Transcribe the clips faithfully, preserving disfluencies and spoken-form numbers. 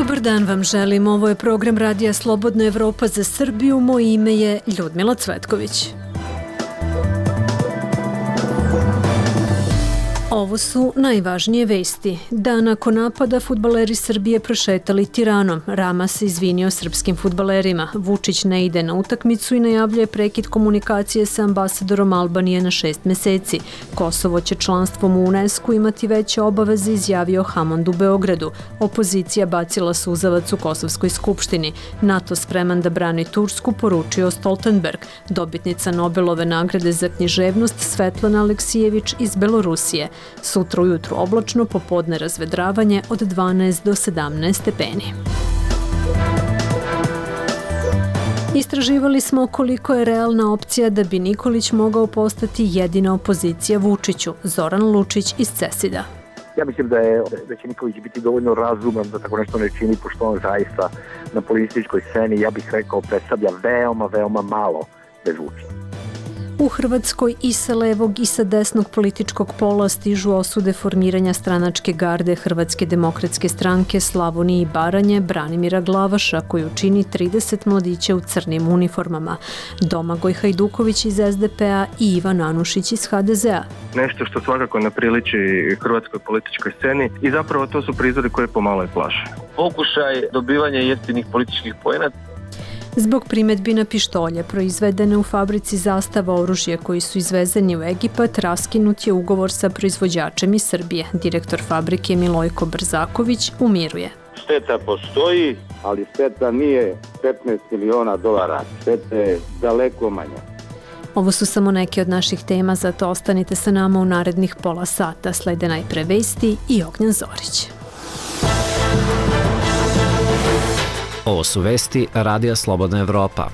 Dobar dan vam želim. Ovo je program Radija Slobodna Evropa za Srbiju. Moje ime je Ljudmila Cvetković. Ovo su najvažnije vesti. Da nakon napada fudbaleri Srbije prošetali Tiranom. Rama se izvinio srpskim fudbalerima. Vučić ne ide na utakmicu i najavljuje prekid komunikacije sa ambasadorom Albanije na šest meseci. Kosovo će članstvom u UNESCO imati veće obaveze, izjavio Hamond u Beogradu. Opozicija bacila suzavac u Kosovskoj skupštini. NATO spreman da brani Tursku, poručio Stoltenberg. Dobitnica Nobelove nagrade za književnost Svetlana Aleksijević iz Belorusije. Sutra ujutru oblačno, popodne razvedravanje od dvanaest do sedamnaest stepeni. Istraživali smo koliko je realna opcija da bi Nikolić mogao postati jedina opozicija Vučiću. Zoran Lučić iz Cesida. Ja mislim da, je, da će Nikolić biti dovoljno razuman da tako nešto ne čini, pošto on zaista na političkoj sceni, ja bih rekao, predstavlja veoma, veoma malo bez Vučića. U Hrvatskoj i sa levog i sa desnog političkog pola stižu osude formiranja stranačke garde Hrvatske demokratske stranke Slavonije i Baranje Branimira Glavaša, koju čini trideset mladića u crnim uniformama. Domagoj Hajduković iz es de pe a i Ivan Anušić iz ha de ze a. Nešto što svakako ne priliči hrvatskoj političkoj sceni i zapravo to su prizori koje pomalo i plaše. Pokušaj dobivanja jeftinih političkih poena. Zbog primetbi na pištolje proizvedene u fabrici Zastava oružje koji su izvezeni u Egipat, raskinut je ugovor sa proizvođačem iz Srbije. Direktor fabrike Milojko Brzaković umiruje. Šteta postoji, ali šteta nije petnaest miliona dolara. Šteta je daleko manja. Ovo su samo neke od naših tema, zato ostanite sa nama u narednih pola sata. Slede najpre vesti i Ognjan Zorić. Ovo su vesti Radija Slobodna Evropa.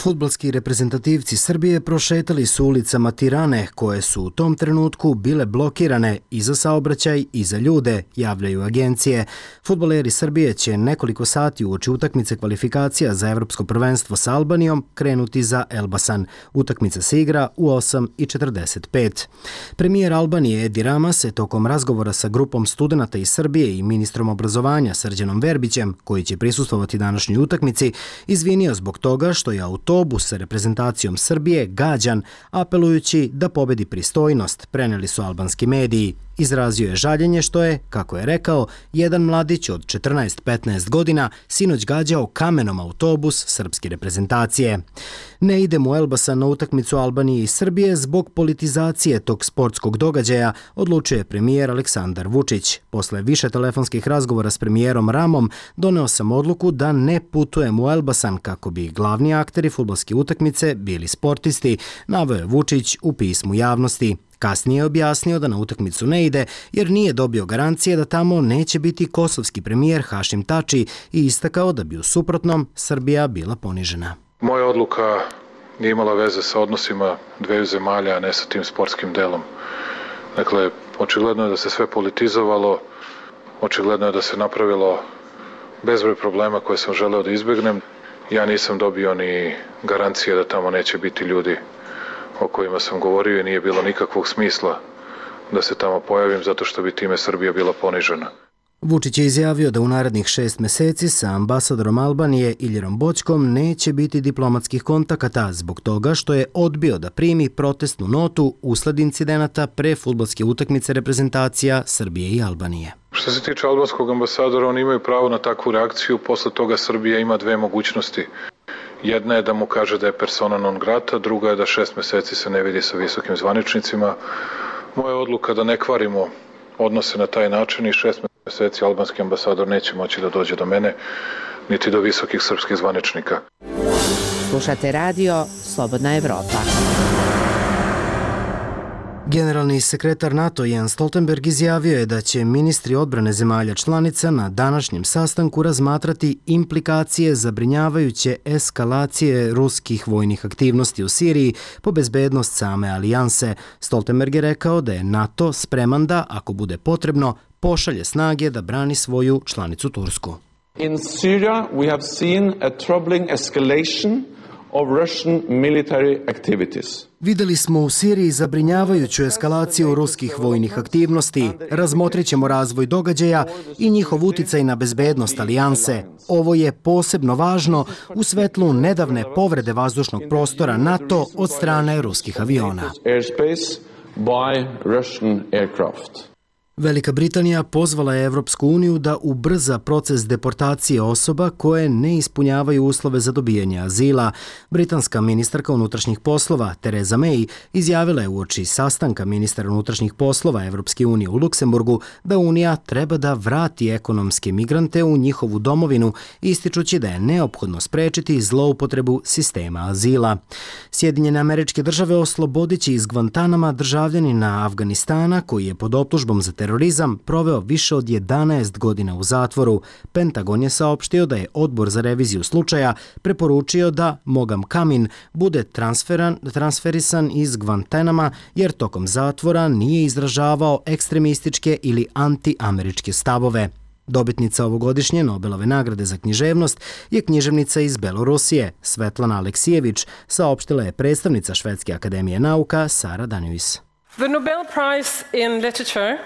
Fudbalski reprezentativci Srbije prošetali su ulicama Tirane, koje su u tom trenutku bile blokirane i za saobraćaj i za ljude, javljaju agencije. Fudbaleri Srbije će nekoliko sati uoči utakmice kvalifikacija za Evropsko prvenstvo sa Albanijom krenuti za Elbasan. Utakmica se igra u osam i četrdeset pet. Premijer Albanije Edi Rama se tokom razgovora sa grupom studenata iz Srbije i ministrom obrazovanja Srđanom Verbićem, koji će prisustvovati današnjoj utakmici, izvinio zbog toga što je autobus sa reprezentacijom Srbije gađan, apelujući da pobedi pristojnost, preneli su albanski mediji. Izrazio je žaljenje što je, kako je rekao, jedan mladić od četrnaest petnaest godina sinoć gađao kamenom autobus srpske reprezentacije. Ne idem u Elbasan na utakmicu Albanije i Srbije zbog politizacije tog sportskog događaja, odlučuje premijer Aleksandar Vučić. Posle više telefonskih razgovora s premijerom Ramom, doneo sam odluku da ne putujem u Elbasan kako bi glavni akteri fudbalske utakmice bili sportisti, naveo je Vučić u pismu javnosti. Kasnije je objasnio da na utakmicu ne ide jer nije dobio garancije da tamo neće biti kosovski premijer Hašim Tači i istakao da bi u suprotnom Srbija bila ponižena. Moja odluka nije imala veze sa odnosima dveju zemalja, a ne sa tim sportskim delom. Dakle, očigledno je da se sve politizovalo, očigledno je da se napravilo bezbroj problema koje sam želeo da izbjegnem. Ja nisam dobio ni garancije da tamo neće biti ljudi o kojima sam govorio i nije bilo nikakvog smisla da se tamo pojavim zato što bi time Srbija bila ponižena. Vučić je izjavio da u narednih šest meseci sa ambasadorom Albanije Iljerom Boćkom neće biti diplomatskih kontakata zbog toga što je odbio da primi protestnu notu usled incidenata pre fudbalske utakmice reprezentacija Srbije i Albanije. Što se tiče albanskog ambasadora, oni imaju pravo na takvu reakciju, posle toga Srbija ima dve mogućnosti. Jedna je da mu kaže da je persona non grata, druga je da šest meseci se ne vidi sa visokim zvaničnicima. Moja odluka da ne kvarimo odnose na taj način i šest meseci albanski ambasador neće moći da dođe do mene, niti do visokih srpskih zvaničnika. Slušate radio Slobodna Evropa. Generalni sekretar NATO Jens Stoltenberg izjavio je da će ministri odbrane zemalja članica na današnjem sastanku razmatrati implikacije zabrinjavajuće eskalacije ruskih vojnih aktivnosti u Siriji po bezbednost same alijanse. Stoltenberg je rekao da je NATO spreman da, ako bude potrebno, pošalje snage da brani svoju članicu Tursku. In Syria we have seen a troubling escalation of Russian military activities. Videli smo u Siriji zabrinjavajuću eskalaciju ruskih vojnih aktivnosti. Razmotrit ćemo razvoj događaja i njihov uticaj na bezbednost alijanse. Ovo je posebno važno u svetlu nedavne povrede vazdušnog prostora NATO od strane ruskih aviona. By Russian aircraft. Velika Britanija pozvala je Evropsku uniju da ubrza proces deportacije osoba koje ne ispunjavaju uslove za dobijanje azila. Britanska ministarka unutrašnjih poslova Theresa May izjavila je uoči sastanka ministara unutrašnjih poslova Evropske unije u Luksemburgu da Unija treba da vrati ekonomske migrante u njihovu domovinu, ističući da je neophodno sprečiti zloupotrebu sistema azila. Sjedinjene Američke Države oslobodiće iz Guantanama državljanina Afganistana koji je pod optužbom za terorizam proveo više od jedanaest godina u zatvoru. Pentagon je saopštio da je odbor za reviziju slučaja preporučio da Mogam Kamin bude transferan, transferisan iz Guantanama jer tokom zatvora nije izražavao ekstremističke ili antiameričke stavove. Dobitnica ovogodišnje Nobelove nagrade za književnost je književnica iz Belorusije, Svetlana Aleksijević, saopštila je predstavnica Švedske akademije nauka Sara Danjuis. The Nobel Prize in Literature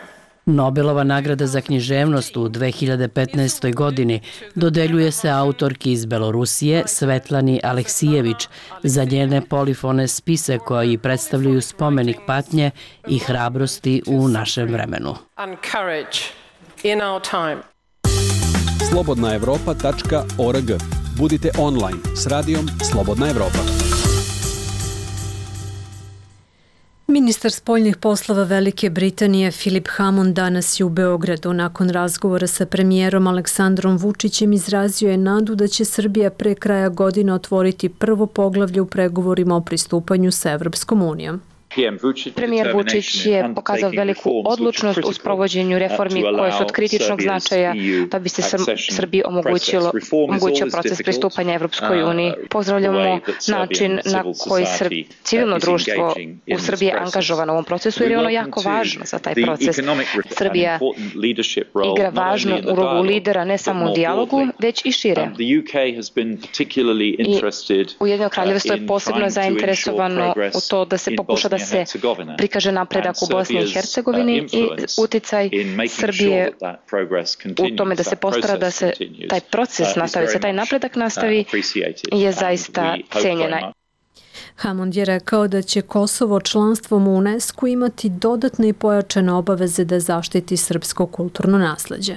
Nobelova nagrada za književnost u dve hiljade petnaestoj. godini dodeljuje se autorki iz Belorusije Svetlani Aleksijević za njene polifone spise koji predstavljaju spomenik patnje i hrabrosti u našem vremenu. slobodna evropa tačka org. Budite online s radijom Slobodna Evropa. Ministar spoljnih poslova Velike Britanije Philip Hammond danas je u Beogradu. Nakon razgovora sa premijerom Aleksandrom Vučićem izrazio je nadu da će Srbija pre kraja godine otvoriti prvo poglavlje u pregovorima o pristupanju sa Evropskom unijom. Premijer Vučić je pokazao veliku odlučnost u sprovođenju reformi koje su od kritičnog značaja da bi se Srbiji omogućilo omogućio proces pristupanja Evropskoj uniji. Pozdravljamo način na koji civilno društvo u Srbiji je angažovano u ovom procesu jer je ono jako važno za taj proces. Srbija igra važnu ulogu lidera ne samo u dijalogu, već i šire. I Ujedinjeno Kraljevstvo je posebno zainteresovano u to da se pokuša da se prikaže napredak u Bosni i Hercegovini i uticaj Srbije u tome da se postara da se taj proces nastavi, se taj napredak nastavi je zaista cenjena. Hammond je rekao da će Kosovo članstvom u UNESCO imati dodatne i pojačane obaveze da zaštiti srpsko kulturno nasleđe.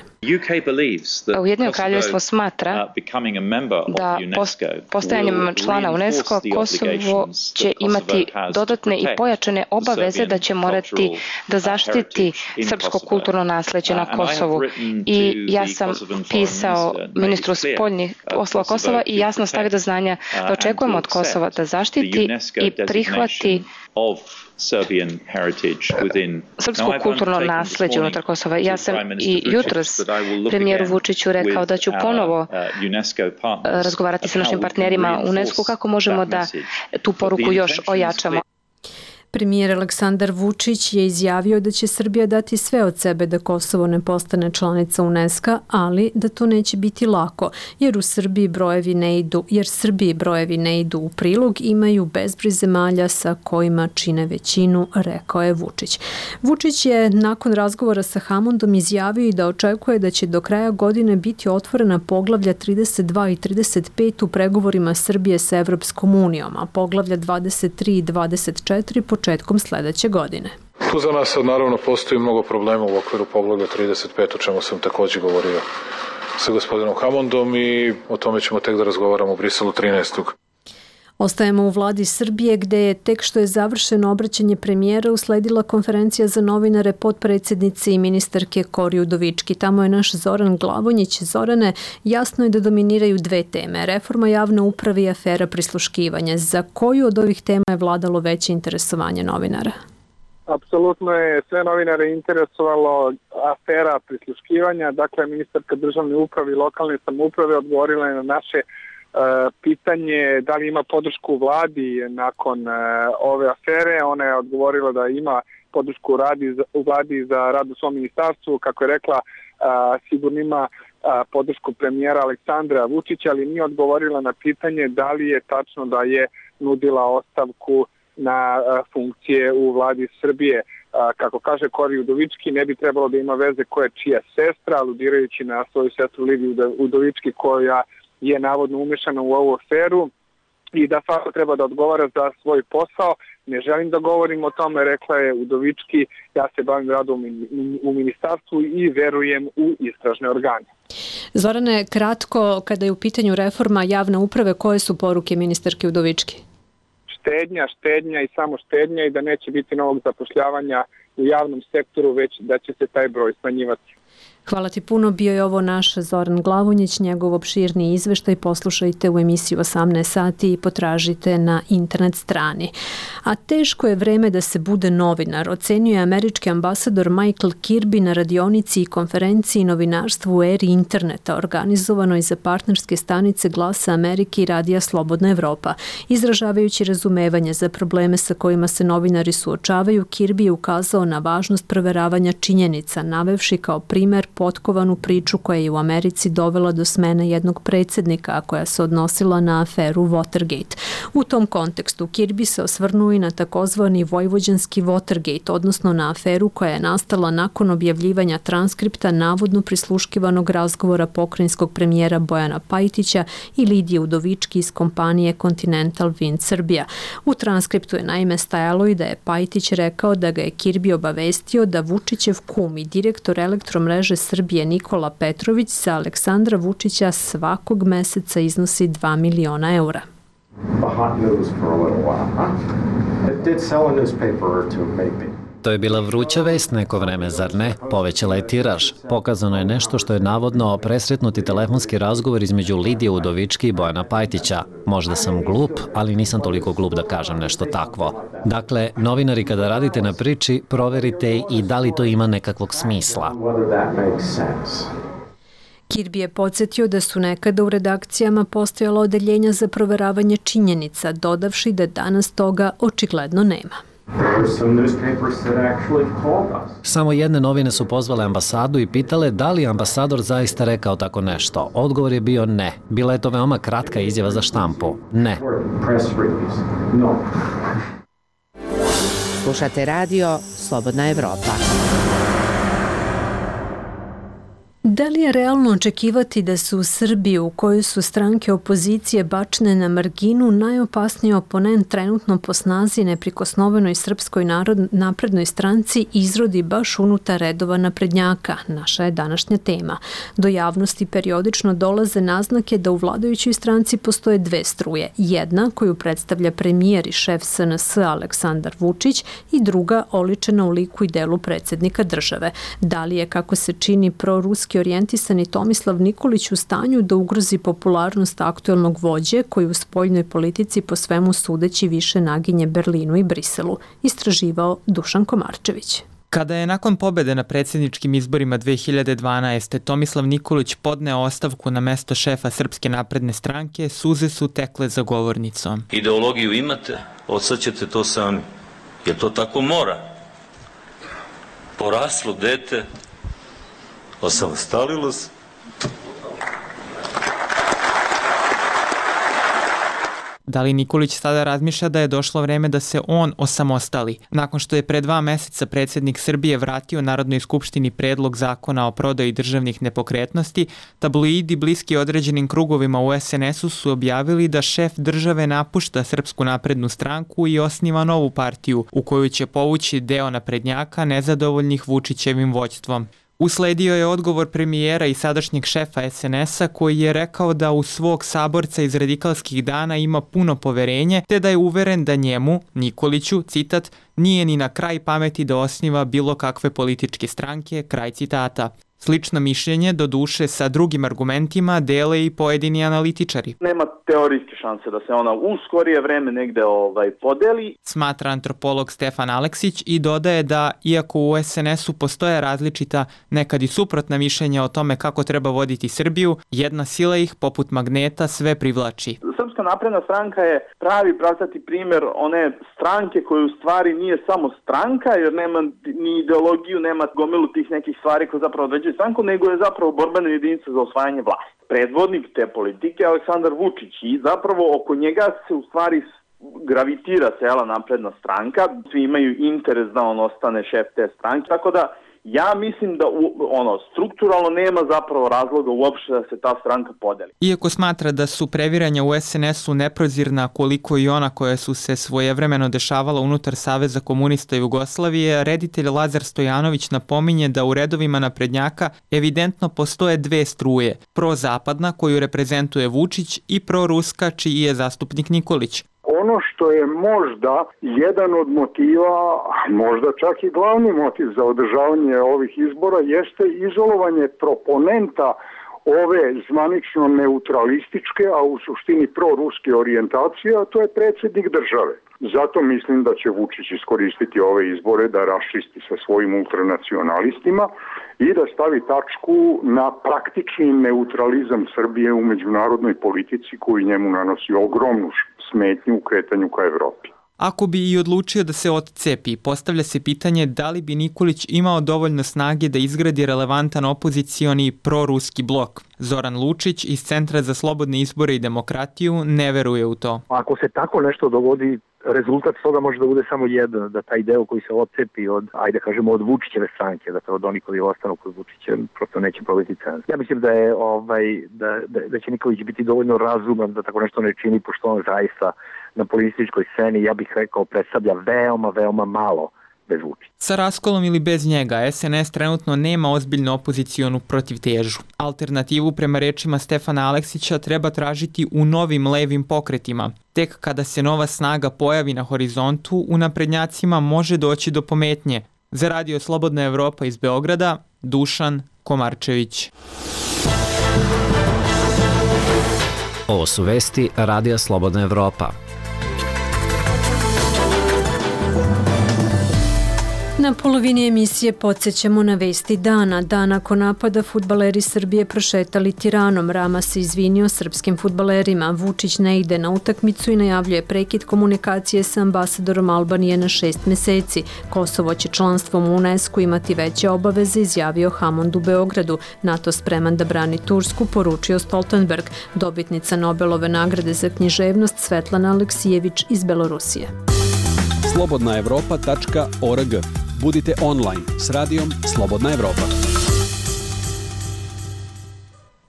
Ujedinjeno Kraljevstvo smatra da postajanjem člana UNESCO Kosovo će imati dodatne i pojačane obaveze da će morati da zaštiti srpsko kulturno nasleđe na Kosovu. I ja sam pisao ministru spoljnih poslova Kosova i jasno stavio do znanja da očekujemo od Kosova da zaštiti i prihvati srpsko kulturno nasleđe unutar Kosova. Ja sam i jutros premijeru Vučiću rekao da ću ponovo razgovarati sa našim partnerima u UNESCO kako možemo da tu poruku još ojačamo. Premijer Aleksandar Vučić je izjavio da će Srbija dati sve od sebe da Kosovo ne postane članica UNESCO, ali da to neće biti lako, jer u Srbiji brojevi ne idu, jer Srbiji brojevi ne idu u prilog, imaju bezbroj zemalja sa kojima čine većinu, rekao je Vučić. Vučić je nakon razgovora sa Hammondom izjavio i da očekuje da će do kraja godine biti otvorena poglavlja trideset dva i trideset pet u pregovorima Srbije sa Evropskom unijom, a poglavlja dvadeset tri i dvadeset četiri početkom sledeće godine. Tu za nas naravno postoji mnogo problema u okviru poglavlja trideset pet, o čemu sam također govorio sa gospodinom Hammondom i o tome ćemo tek da razgovaramo u Briselu trinaestog Ostajemo u vladi Srbije gde je tek što je završeno obraćanje premijera usledila konferencija za novinare potpredsjednice i ministarke Kori Udovički. Tamo je naš Zoran Glavonjić. Zorane, jasno je da dominiraju dve teme. Reforma javne uprave i afera prisluškivanja. Za koju od ovih tema je vladalo veće interesovanje novinara? Apsolutno je sve novinare interesovalo afera prisluškivanja. Dakle, ministarka državne uprave i lokalne samouprave odgovorila je na naše pitanje da li ima podršku u vladi nakon ove afere. Ona je odgovorila da ima podršku u, radi, u vladi za rad u svom ministarstvu. Kako je rekla, sigurno ima podršku premijera Aleksandra Vučića, ali nije odgovorila na pitanje da li je tačno da je nudila ostavku na funkcije u vladi Srbije. Kako kaže Kori Udovički, ne bi trebalo da ima veze ko je čija sestra, aludirajući na svoju sestru Lidiju Udovički koja je navodno umešana u ovu aferu i da svako treba da odgovara za svoj posao. Ne želim da govorim o tome, rekla je Udovički, ja se bavim radom u ministarstvu i verujem u istražne organe. Zorane, kratko, kada je u pitanju reforma javne uprave, koje su poruke ministarke Udovički? Štednja, štednja i samo štednja i da neće biti novog zapošljavanja u javnom sektoru, već da će se taj broj smanjivati. Hvala ti puno, bio je ovo naš Zoran Glavonjić, njegov opširni izveštaj poslušajte u emisiji osamnaest sati i potražite na internet strani. A teško je vreme da se bude novinar, ocenjuje američki ambasador Michael Kirby na radionici i konferenciji novinarstvu u eri interneta, organizovanoj za partnerske stanice Glasa Amerike i Radija Slobodna Evropa. Izražavajući razumevanje za probleme sa kojima se novinari suočavaju, Kirby je ukazao na važnost proveravanja činjenica, navevši kao primer potkovanu priču koja je u Americi dovela do smene jednog predsjednika, a koja se odnosila na aferu Watergate. U tom kontekstu Kirby se osvrnuo i na takozvani vojvođanski Watergate, odnosno na aferu koja je nastala nakon objavljivanja transkripta navodno prisluškivanog razgovora pokrajinskog premijera Bojana Pajtića i Lidije Udovički iz kompanije Continental Wind Serbia. U transkriptu je naime stajalo i da je Pajtić rekao da ga je Kirby obavestio da Vučićev kum i direktor elektromreže Srbije Nikola Petrović za Aleksandra Vučića svakog meseca iznosi dva miliona eura. To je bila vruća vest neko vreme, zar ne? Povećala je tiraž. Pokazano je nešto što je navodno presretnuti telefonski razgovor između Lidije Udovički i Bojana Pajtića. Možda sam glup, ali nisam toliko glup da kažem nešto takvo. Dakle, novinari kada radite na priči, proverite i da li to ima nekakvog smisla. Kirby je podsjetio da su nekada u redakcijama postojala odeljenja za proveravanje činjenica, dodavši da danas toga očigledno nema. Samo jedne novine su pozvale ambasadu i pitale da li ambasador zaista rekao tako nešto. Odgovor je bio ne. Bila je to veoma kratka izjava za štampu. Ne. Slušate radio Slobodna Evropa. Da li je realno očekivati da su u Srbiji, u kojoj su stranke opozicije bačene na marginu, najopasniji oponent trenutno po snazi neprikosnovenoj Srpskoj naprednoj stranci izrodi baš unutar redova naprednjaka? Naša je današnja tema. Do javnosti periodično dolaze naznake da u vladajućoj stranci postoje dve struje. Jedna koju predstavlja premijer i šef S N S Aleksandar Vučić i druga oličena u liku i delu predsjednika države. Da li je, kako se čini, proruski orijentisani Tomislav Nikolić u stanju da ugrozi popularnost aktuelnog vođe koji u spoljnoj politici po svemu sudeći više naginje Berlinu i Briselu, istraživao Dušan Komarčević. Kada je nakon pobede na predsjedničkim izborima dve hiljade dvanaeste. Tomislav Nikolić podneo ostavku na mesto šefa Srpske napredne stranke, suze su tekle za govornicom. Ideologiju imate, odsad ćete to sami. Jer to tako mora. Poraslo dete, osamostalilo se. Da li Nikolić sada razmišlja da je došlo vreme da se on osamostali? Nakon što je pre dva meseca predsjednik Srbije vratio Narodnoj skupštini predlog zakona o prodaji državnih nepokretnosti, tabloidi bliski određenim krugovima u S N S-u su objavili da šef države napušta Srpsku naprednu stranku i osniva novu partiju u koju će povući deo naprednjaka nezadovoljnih Vučićevim vođstvom. Usledio je odgovor premijera i sadašnjeg šefa S N S-a koji je rekao da u svog saborca iz radikalskih dana ima puno poverenje, te da je uveren da njemu, Nikoliću, citat, nije ni na kraj pameti da osniva bilo kakve političke stranke, kraj citata. Slično mišljenje, do duše sa drugim argumentima, dele i pojedini analitičari. Nema teorijske šanse da se ona u skorije vreme negde ovaj, podeli. Smatra antropolog Stefan Aleksić i dodaje da, iako u S N S-u postoje različita, nekad i suprotna mišljenja o tome kako treba voditi Srbiju, jedna sila ih, poput magneta, sve privlači. Srpska napredna stranka je pravi pravcati primjer one stranke koja u stvari nije samo stranka, jer nema ni ideologiju, nema gomilu tih nekih stvari koje zapravo određuju stranku, nego je zapravo borbena jedinica za osvajanje vlasti. Predvodnik te politike je Aleksandar Vučić i zapravo oko njega se u stvari gravitira cela napredna stranka. Svi imaju interes da on ostane šef te stranke, tako da ja mislim da ono strukturalno nema zapravo razloga uopšte da se ta stranka podeli. Iako smatra da su previranja u es en esu neprozirna koliko i ona koja su se svojevremeno dešavala unutar Saveza komunista Jugoslavije, reditelj Lazar Stojanović napominje da u redovima naprednjaka evidentno postoje dve struje, prozapadna koju reprezentuje Vučić i proruska čiji je zastupnik Nikolić. Ono što je možda jedan od motiva, možda čak i glavni motiv za održavanje ovih izbora, jeste izolovanje proponenta ove zvanično neutralističke, a u suštini proruske orijentacije, a to je predsjednik države. Zato mislim da će Vučić iskoristiti ove izbore da raščisti sa svojim ultranacionalistima i da stavi tačku na praktični neutralizam Srbije u međunarodnoj politici koji njemu nanosi ogromnu smetnju u kretanju ka Evropi. Ako bi i odlučio da se odcepi, postavlja se pitanje da li bi Nikolić imao dovoljno snage da izgradi relevantan opozicioni proruski blok. Zoran Lučić iz Centra za slobodne izbore i demokratiju ne veruje u to. Ako se tako nešto dogodi, rezultat toga može da bude samo jedan, da taj deo koji se odcepi od, ajde kažemo, od Vučićeve stranke, dakle od onih koji ostanu kod Vučića, prosto neće probiti cens. Ja mislim da je ovaj da, da, da će Nikolić biti dovoljno razuman da tako nešto ne čini, pošto on zaista na političkoj sceni, ja bih rekao, predstavlja veoma, veoma malo bez Vučića. Sa raskolom ili bez njega, es en es trenutno nema ozbiljnu opozicionu protivtežu. Alternativu prema rečima Stefana Aleksića treba tražiti u novim levim pokretima. Tek kada se nova snaga pojavi na horizontu, u naprednjacima može doći do pometnje. Za Radio Slobodna Evropa iz Beograda, Dušan Komarčević. Ovo su vesti Radija Slobodna Evropa. Na polovini emisije podsjećamo na vesti dana. Dan nakon napada fudbaleri Srbije prošetali Tiranom. Rama se izvinio srpskim fudbalerima. Vučić ne ide na utakmicu i najavljuje prekid komunikacije sa ambasadorom Albanije na šest meseci. Kosovo će članstvom u UNESCO imati veće obaveze, izjavio Hamond u Beogradu. NATO spreman da brani Tursku, poručio Stoltenberg. Dobitnica Nobelove nagrade za književnost Svetlana Aleksijević iz Belorusije. slobodna evropa tačka org. Budite online s radijom Slobodna Evropa.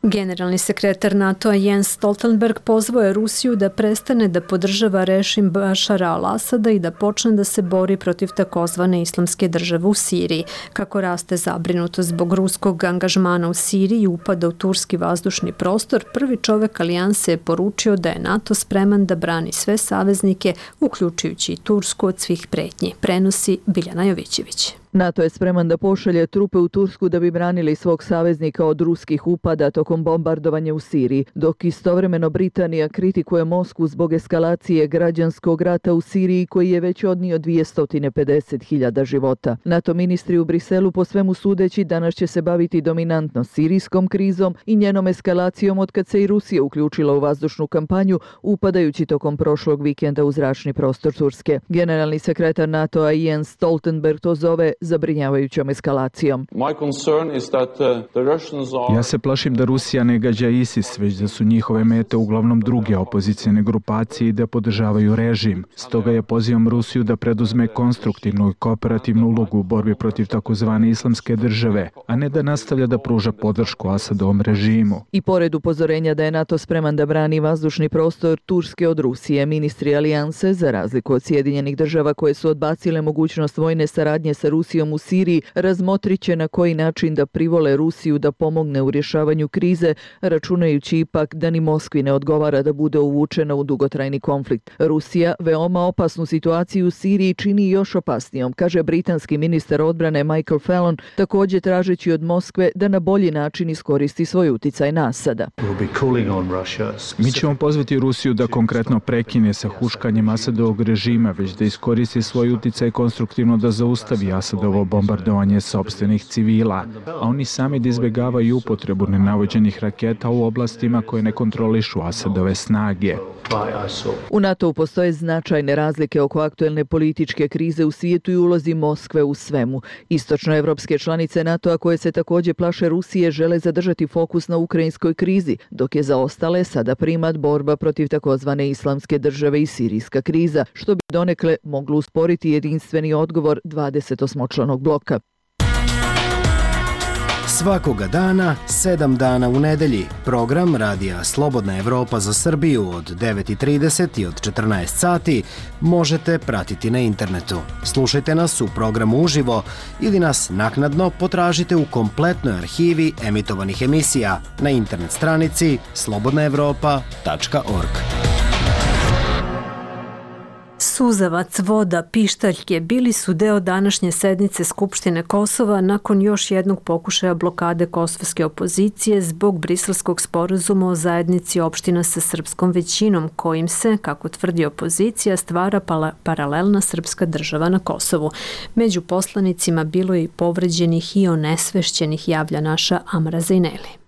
Generalni sekretar NATO-a Jens Stoltenberg pozvao je Rusiju da prestane da podržava režim Bašara al-Asada i da počne da se bori protiv takozvane islamske države u Siriji. Kako raste zabrinutost zbog ruskog angažmana u Siriji i upada u turski vazdušni prostor, prvi čovek alijanse je poručio da je NATO spreman da brani sve saveznike, uključujući i Tursku, od svih pretnji. Prenosi Biljana Jovićević. NATO je spreman da pošalje trupe u Tursku da bi branili svog saveznika od ruskih upada tokom bombardovanja u Siriji, dok istovremeno Britanija kritikuje Moskvu zbog eskalacije građanskog rata u Siriji koji je već odnio dvjesto pedeset hiljada života. NATO ministri u Briselu po svemu sudeći danas će se baviti dominantno sirijskom krizom i njenom eskalacijom od kad se i Rusija uključila u vazdušnu kampanju, upadajući tokom prošlog vikenda u zračni prostor Turske. Generalni sekretar NATO-a Jens Stoltenberg to zove zabrinjavajućom eskalacijom. Ja se plašim da Rusija ne gađa ISIS, već da su njihove mete uglavnom druge opozicijne grupacije i da podržavaju režim. Stoga ja pozivam Rusiju da preduzme konstruktivnu i kooperativnu ulogu u borbi protiv takozvane islamske države, a ne da nastavlja da pruža podršku Asadovom režimu. I pored upozorenja da je NATO spreman da brani vazdušni prostor Turske od Rusije, ministri alijanse, za razliku od Sjedinjenih država koje su odbacile mogućnost vojne saradnje sa Rusijom u Siriji, razmotrit će na koji način da privole Rusiju da pomogne u rješavanju krize, računajući ipak da ni Moskvi ne odgovara da bude uvučena u dugotrajni konflikt. Rusija veoma opasnu situaciju u Siriji čini još opasnijom, kaže britanski ministar odbrane Michael Fallon, također tražeći od Moskve da na bolji način iskoristi svoj uticaj na Asada. Mi ćemo pozvati Rusiju da konkretno prekine sa huškanjem Asadovog režima, već da iskoristi svoj uticaj konstruktivno da zaustavi Asadov opravdavo bombardovanje sopstvenih civila, a oni sami da izbjegavaju upotrebu nenavođenih raketa u oblastima koje ne kontrolišu Asadove snage. U NATO postoje značajne razlike oko aktuelne političke krize u svijetu i ulozi Moskve u svemu. Istočnoevropske članice NATO-a koje se također plaše Rusije žele zadržati fokus na ukrajinskoj krizi, dok je za ostale sada primat borba protiv takozvane islamske države i sirijska kriza, što bi donekle moglo usporiti jedinstveni odgovor dvadesetosmočlanog bloka. Svakoga dana, sedam dana u nedelji, program Radija Slobodna Evropa za Srbiju od devet i trideset i od četrnaest sati možete pratiti na internetu. Slušajte nas u programu uživo ili nas naknadno potražite u kompletnoj arhivi emitovanih emisija na internet stranici slobodna evropa tačka org. Suzavac, voda, pištaljke bili su deo današnje sednice Skupštine Kosova nakon još jednog pokušaja blokade kosovske opozicije zbog briselskog sporazuma o zajednici opština sa srpskom većinom, kojim se, kako tvrdi opozicija, stvara paralelna srpska država na Kosovu. Među poslanicima bilo je i povređenih i onesvešćenih, javlja naša Amra Zejneli.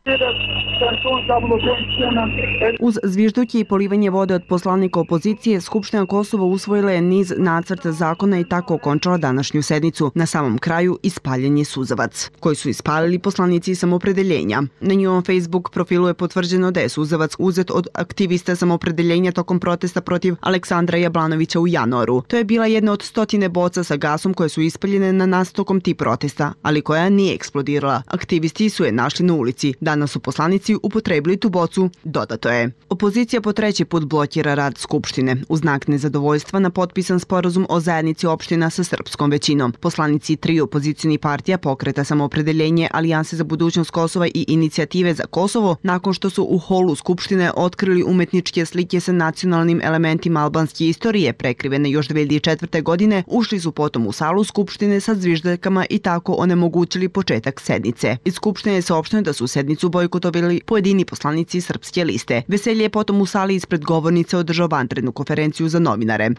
Uz zvižduće i polivanje vode od poslanika opozicije, Skupština Kosova usvojila je niz nacrta zakona i tako okončala današnju sednicu. Na samom kraju ispaljen je suzavac, koji su ispalili poslanici samopredeljenja. Na njihovom Facebook profilu je potvrđeno da je suzavac uzet od aktivista samopredeljenja tokom protesta protiv Aleksandra Jablanovića u januaru. To je bila jedna od stotine boca sa gasom koje su ispaljene na nas tokom tih protesta, ali koja nije eksplodirala. Aktivisti su je našli na ulici. Danas su poslanici upotrebili tu bocu, dodato je. Opozicija po treći put blokira rad Skupštine u znak nezadovoljstva na potpisan sporazum o zajednici opština sa srpskom većinom. Poslanici tri opozicijnih partija, Pokreta samoopredeljenje, Alijanse za budućnost Kosova i Inicijative za Kosovo, nakon što su u holu Skupštine otkrili umetničke slike sa nacionalnim elementima albanske istorije prekrivene još dve hiljade četvrte. godine, ušli su potom u salu Skupštine sa zviždaljkama i tako onemogućili početak sednice. Iz Skupštine je saopšteno da su sednicu bojkotovali pojedini poslanici Srpske liste. Veselje je potom u sali ispred govornice održao vanrednu konferenciju za novinare.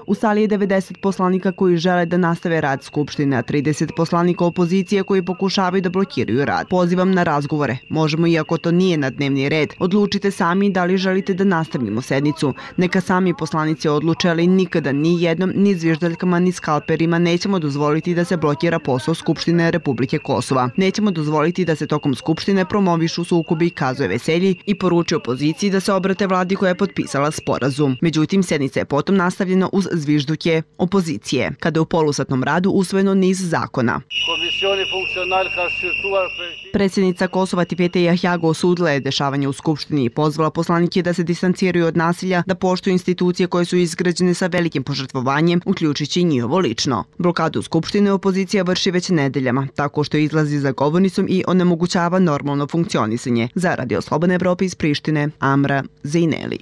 U sali je devedeset poslanika koji žele da nastave rad Skupštine, a trideset poslanika opozicije koji pokušavaju da blokiraju rad. Pozivam na razgovore. Možemo, iako to nije na dnevni red. Odlučite sami da li želite da nastavimo sednicu. Neka sami poslanici odluče, ali nikada ni jednom, ni zviždaljkama, ni skalperima nećemo dozvoliti da se blokira posao Skupštine Republike Kosova. Nećemo dozvoliti da se tokom Skupštine promovišu sukobi, kazuje Veselji i poruči opoziciji da se obrate vladi koja je potpisala sporazum. Međutim, sednica je potom nastavljena uz zvižduke opozicije, kada je u polusatnom radu usvojeno niz zakona. Predsjednica Kosova Tipete Jahjago osudila je dešavanje u Skupštini i pozvala poslanike da se distanciraju od nasilja, da poštuju institucije koje su izgrađene sa velikim požrtvovanjem, uključujući i njihovo lično. Blokadu Skupštine opozicija vrši već nedeljama, tako što izlazi za govornicom i onemogućava normalno funkcionisanje. Za Radio Slobodne Evrope iz Prištine, Amra Zejneli.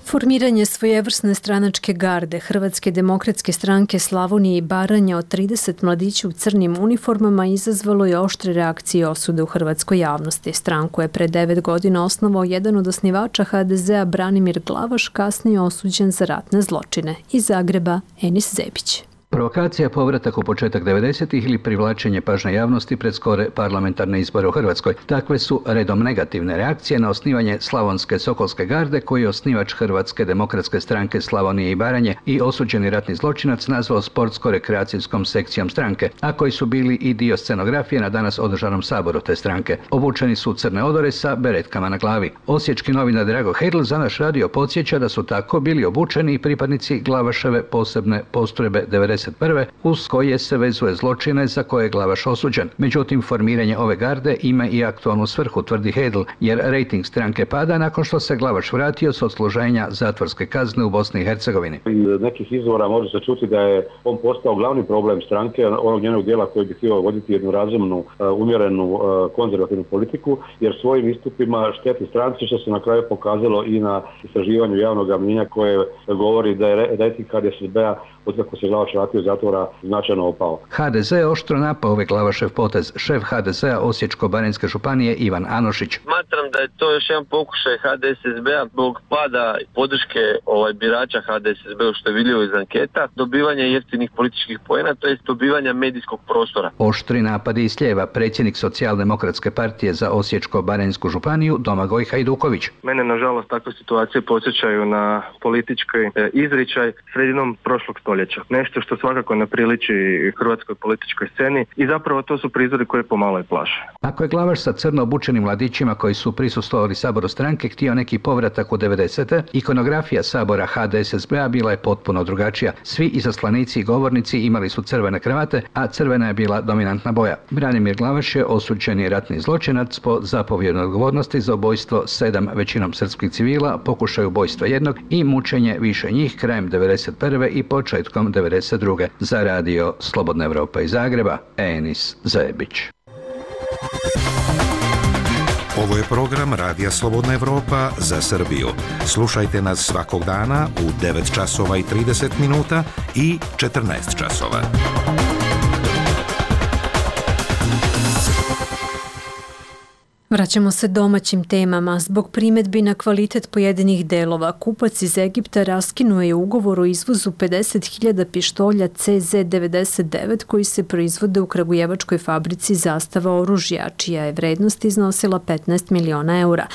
Formiranje svojevrsne stranačke garde Hrvatske demokratske stranke Slavonije i Baranja od trideset mladića u crnim uniformama izazvalo je oštre reakcije i osude u hrvatskoj javnosti. Stranku je pre devet godina osnovao jedan od osnivača ha de zea Branimir Glavaš, kasnije osuđen za ratne zločine. Iz Zagreba, Enis Zebić. Provokacija, povratak u početak devedesetih ili privlačenje pažnje javnosti pred skore parlamentarne izbore u Hrvatskoj. Takve su redom negativne reakcije na osnivanje Slavonske Sokolske garde, koji je osnivač Hrvatske demokratske stranke Slavonije i Baranje i osuđeni ratni zločinac nazvao sportsko-rekreacijskom sekcijom stranke, a koji su bili i dio scenografije na danas održanom saboru te stranke. Obučeni su u crne odore sa beretkama na glavi. Osječki novinar Drago Hedl za naš radio podsjeća da su tako bili obučeni i pripadnici Glavaševe posebne postrojbe devedeset prve uz koje se vezuje zločine za koje je Glavaš osuđen. Međutim, formiranje ove garde ima i aktualnu svrhu, tvrdi Hedl, jer rejting stranke pada nakon što se Glavaš vratio s odsluženja zatvorske kazne u Bosni i Hercegovini. Iz nekih izvora može se čuti da je on postao glavni problem stranke, onog njenog dijela koji bi htio voditi jednu razumnu, umjerenu, konzervativnu politiku, jer svojim istupima šteti stranci, što se na kraju pokazalo i na istraživanju javnog mnijenja koje govori da je rejting ha de es be-a od kako se Glavaš vratio zatvor zatvora značajno opao. ha de ze oštro napao ove Glavašev potez. Šef ha de zea Osječko-baranjske županije Ivan Anošić. Smatram da je to još jedan pokušaj ha de es es be-a zbog pada podrške ovaj, birača ha de es es be-u, što je vidljivo iz anketa, dobivanje jeftinih političkih poena, to je dobivanja medijskog prostora. Oštri napadi iz lijeva, predsjednik Socijaldemokratske partije za Osječko-baranjsku županiju Domagoj Hajduković. Mene, nažalost, takve situacije podsjećaju na politički izričaj sredinom prošlog stoljeća. Nešto što svakako ne priliči hrvatskoj političkoj sceni i zapravo to su prizori koje pomalo i plaše. Ako je Glavaš sa crno obučenim mladićima koji su prisustvovali saboru stranke htio neki povratak u devedesete, ikonografija sabora ha de es es be-a bila je potpuno drugačija. Svi izaslanici i govornici imali su crvene kravate, a crvena je bila dominantna boja. Branimir Glavaš je osuđeni ratni zločinac po zapovjednoj odgovornosti za ubojstvo sedam većinom srpskih civila, pokušaj ubojstva jednog i mučenje više njih krajem devedeset prve i početkom devedeset druge. Za radio Slobodna Evropa iz Zagreba, Enis Zajebić. Ovo je program Radija Slobodna Evropa za Srbiju. Slušajte nas svakog dana u devet časova i trideset minuta i četrnaest časova. Vraćamo se domaćim temama. Zbog primetbi na kvalitet pojedinih delova, kupac iz Egipta raskinuo je ugovor o izvozu pedeset hiljada pištolja ce zet devedeset devet koji se proizvode u kragujevačkoj fabrici Zastava oružja, čija je vrednost iznosila petnaest miliona eura.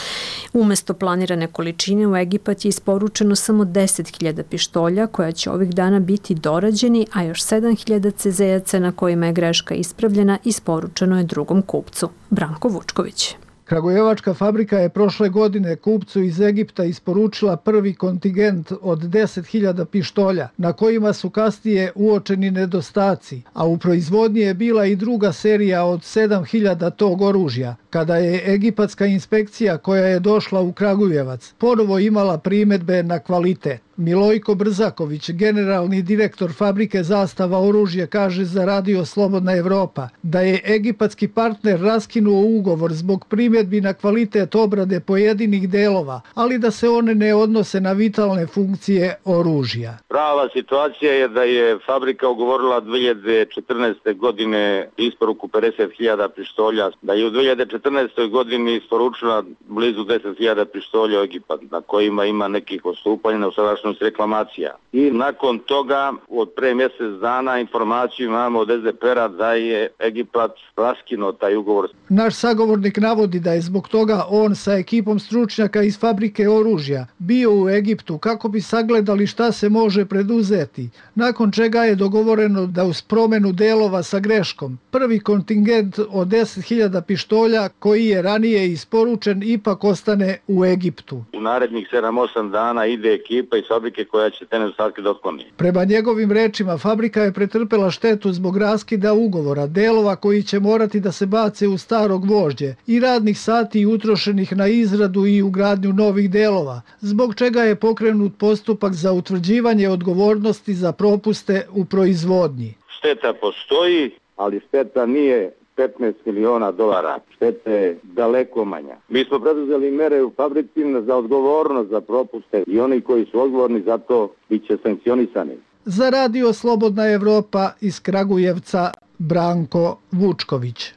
Umesto planirane količine u Egipat je isporučeno samo deset hiljada pištolja koja će ovih dana biti dorađeni, a još sedam hiljada cezejaca na kojima je greška ispravljena isporučeno je drugom kupcu. Branko Vučković. Kragujevačka fabrika je prošle godine kupcu iz Egipta isporučila prvi kontingent od deset hiljada pištolja, na kojima su kasnije uočeni nedostaci, a u proizvodnji je bila i druga serija od sedam hiljada tog oružja, kada je egipatska inspekcija koja je došla u Kragujevac ponovo imala primetbe na kvalitet. Milojko Brzaković, generalni direktor fabrike Zastava oružja, kaže za radio Slobodna Evropa da je egipatski partner raskinuo ugovor zbog primjedbi na kvalitet obrade pojedinih delova, ali da se one ne odnose na vitalne funkcije oružja. Prava situacija je da je fabrika ugovorila dve hiljade četrnaeste. godine isporuku pedeset hiljada pištolja, da je u dve hiljade četrnaestoj. godini isporučila blizu deset hiljada pištolja u Egipat, na kojima ima nekih odstupanja na usadašnjosti reklamacija. I nakon toga, od pre mjesec dana, informaciju imamo od es de pe er-a da je Egipat raskinuo taj ugovor. Naš sagovornik navodi da je zbog toga on sa ekipom stručnjaka iz fabrike oružja bio u Egiptu kako bi sagledali šta se može preduzeti, nakon čega je dogovoreno da uz promjenu delova sa greškom prvi kontingent od deset hiljada pištolja koji je ranije isporučen ipak ostane u Egiptu. U narednih sedam osam dana ide ekipa iz fabrike koja će te nedostatke da otkloni. Prema njegovim rečima, fabrika je pretrpela štetu zbog raskida ugovora, delova koji će morati da se bace u staro gvožđe i radnih sati utrošenih na izradu i ugradnju novih delova, zbog čega je pokrenut postupak za utvrđivanje odgovornosti za propuste u proizvodnji. Šteta postoji, ali šteta nije petnaest miliona dolara. Šteta je daleko manja. Mi smo preduzeli mere u fabrici za odgovornost za propuste i oni koji su odgovorni za to bit će sankcionisani. Za radio Slobodna Evropa iz Kragujevca, Branko Vučković.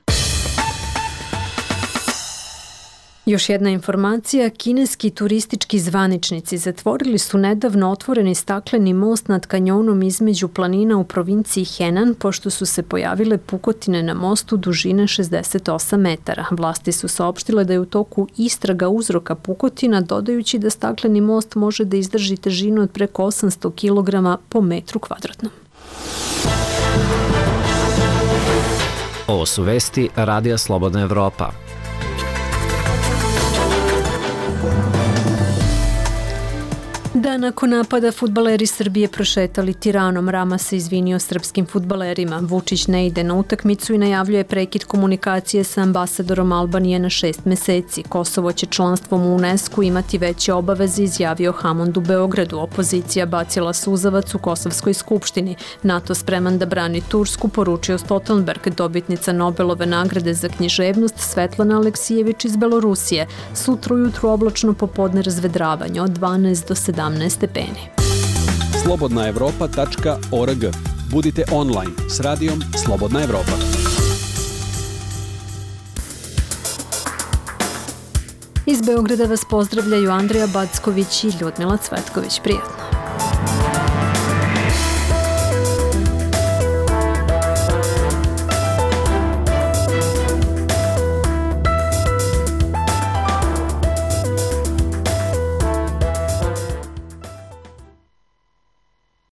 Još jedna informacija, kineski turistički zvaničnici zatvorili su nedavno otvoreni stakleni most nad kanjonom između planina u provinciji Henan, pošto su se pojavile pukotine na mostu dužine šezdeset osam metara. Vlasti su saopštile da je u toku istraga uzroka pukotina, dodajući da stakleni most može da izdrži težinu od preko osamsto kilograma po metru kvadratnom. Ovo su vesti Radija Slobodna Evropa. Da nakon napada fudbaleri Srbije prošetali Tiranom, Rama se izvinio srpskim fudbalerima. Vučić ne ide na utakmicu i najavljuje prekid komunikacije sa ambasadorom Albanije na šest meseci. Kosovo će članstvom u UNESCO imati veće obaveze, izjavio Hamond u Beogradu. Opozicija bacila suzavac u Kosovskoj skupštini. NATO spreman da brani Tursku, poručio Stoltenberg. Dobitnica Nobelove nagrade za književnost Svetlana Aleksijević iz Belorusije. Sutra ujutru oblačno, popodne razvedravanje od dvanaest do sedamnaest stepeni. slobodna evropa tačka org. Budite online s radijom Slobodna Evropa. Iz Beograda vas pozdravljaju Andreja Backović i Ljudmila Cvetković. Prijatno.